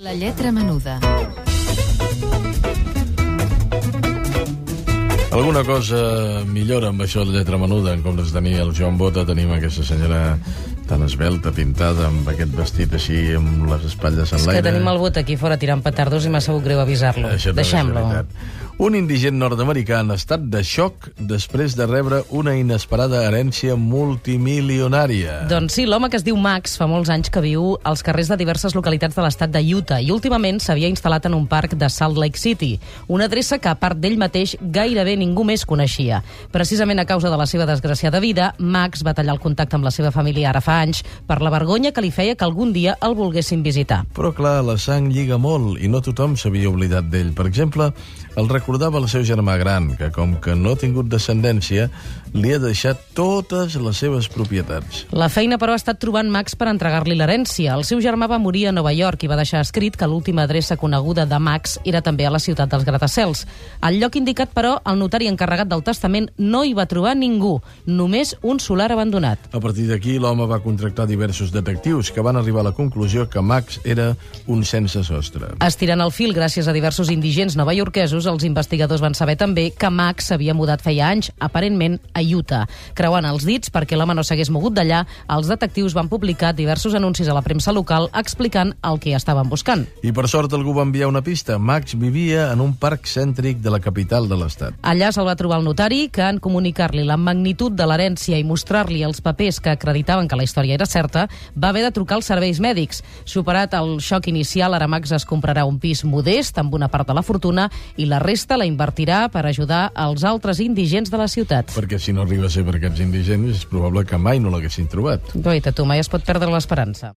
La lletra menuda. Alguna cosa millora amb això de lletra menuda. En comptes de tenir el Joan Bota, tenim aquesta senyora tan esbelta, pintada, amb aquest vestit així, amb les espatlles en l'aire. És que tenim el Bota aquí fora tirant petardos i m'ha sabut greu avisar-lo. Deixem-lo. Un indigent nord-americà en estat de xoc després de rebre una inesperada herència multimilionària. Doncs sí, l'home que es diu Max fa molts anys que viu als carrers de diverses localitats de l'estat de Utah i últimament s'havia instal·lat en un parc de Salt Lake City, una adreça que, a part d'ell mateix, gairebé ningú més coneixia. Precisament a causa de la seva desgraciada vida, Max va tallar el contacte amb la seva família ara fa anys per la vergonya que li feia que algun dia el volguessin visitar. Però clar, la sang lliga molt i no tothom s'havia oblidat d'ell. Per exemple, el recordava el seu germà gran, que com que no ha tingut descendència, li ha deixat totes les seves propietats. La feina, però, ha estat trobant Max per entregar-li l'herència. El seu germà va morir a Nova York i va deixar escrit que l'última adreça coneguda de Max era també a la ciutat dels gratacels. Al lloc indicat, però, el notari encarregat del testament no hi va trobar ningú, només un solar abandonat. A partir d'aquí, l'home va contractar diversos detectius que van arribar a la conclusió que Max era un sense sostre. Estirant el fil gràcies a diversos indigents novaiorquesos, els investigadors van saber també que Max s'havia mudat feia anys, aparentment a Utah. Creuant els dits perquè l'home no s'hagués mogut d'allà, els detectius van publicar diversos anuncis a la premsa local explicant el que estaven buscant. I per sort algú va enviar una pista. Max vivia en un parc cèntric de la capital de l'estat. Allà se'l va trobar el notari, que en comunicar-li la magnitud de l'herència i mostrar-li els papers que acreditaven que la història era certa, va haver de trucar als serveis mèdics. Superat el xoc inicial, ara Max es comprarà un pis modest amb una part de la fortuna i la resta la invertirà per ajudar als altres indigents de la ciutat. Perquè si no arriba a ser per aquests indigents, és probable que mai no l'haguessin trobat. Guaita, tu, mai es pot perdre l'esperança.